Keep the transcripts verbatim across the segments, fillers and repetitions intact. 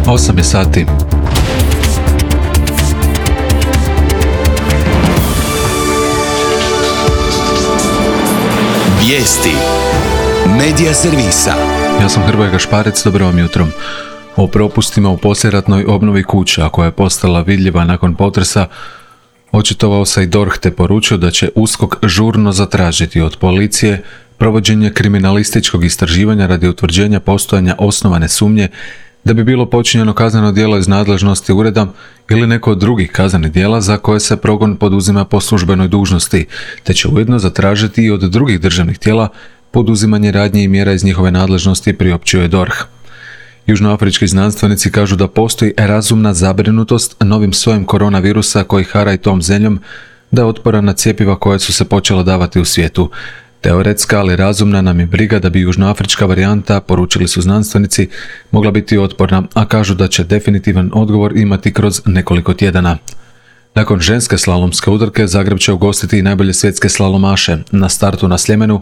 osam je sati. Vijesti Medija servisa. Ja sam Hrvoje Gašparec, dobro vam jutro. O propustima u poslijeratnoj obnovi kuća, koja je postala vidljiva nakon potresa, očitovao se i D O R H te poručio da će U S K O K žurno zatražiti od policije provođenje kriminalističkog istraživanja radi utvrđenja postojanja osnovane sumnje da bi bilo počinjeno kazneno djelo iz nadležnosti ureda ili neko od drugih kaznenih djela za koje se progon poduzima po službenoj dužnosti, te će ujedno zatražiti i od drugih državnih tijela poduzimanje radnji i mjera iz njihove nadležnosti, priopćio je D O R H. Južnoafrički znanstvenici kažu da postoji razumna zabrinutost novim sojem koronavirusa koji hara i tom zemljom, da je otporan na cjepiva koja su se počela davati u svijetu. Teoretska, ali razumna nam je briga da bi južnoafrička varijanta, poručili su znanstvenici, mogla biti otporna, a kažu da će definitivan odgovor imati kroz nekoliko tjedana. Nakon ženske slalomske utrke, Zagreb će ugostiti i najbolje svjetske slalomaše. Na startu na Sljemenu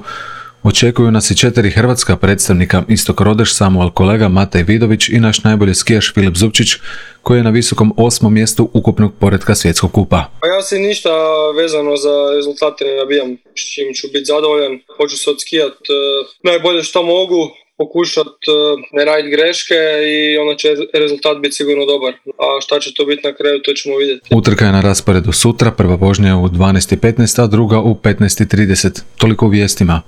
očekuju nas i četiri hrvatska predstavnika: Istok Rodeš, Samuel Kolega, Matej Vidović i naš najbolji skijaš Filip Zupčić, koji je na visokom osmom mjestu ukupnog poretka svjetskog kupa. Pa ja se ništa vezano za rezultate ne nabijam, s čim ću biti zadovoljan. Hoću se odskijat uh, najbolje što mogu, pokušat uh, ne raditi greške i onda će rezultat biti sigurno dobar. A šta će to biti na kraju, to ćemo vidjeti. Utrka je na rasporedu sutra, prva vožnja je u dvanaest i petnaest, a druga u petnaest i trideset. Toliko u vijestima.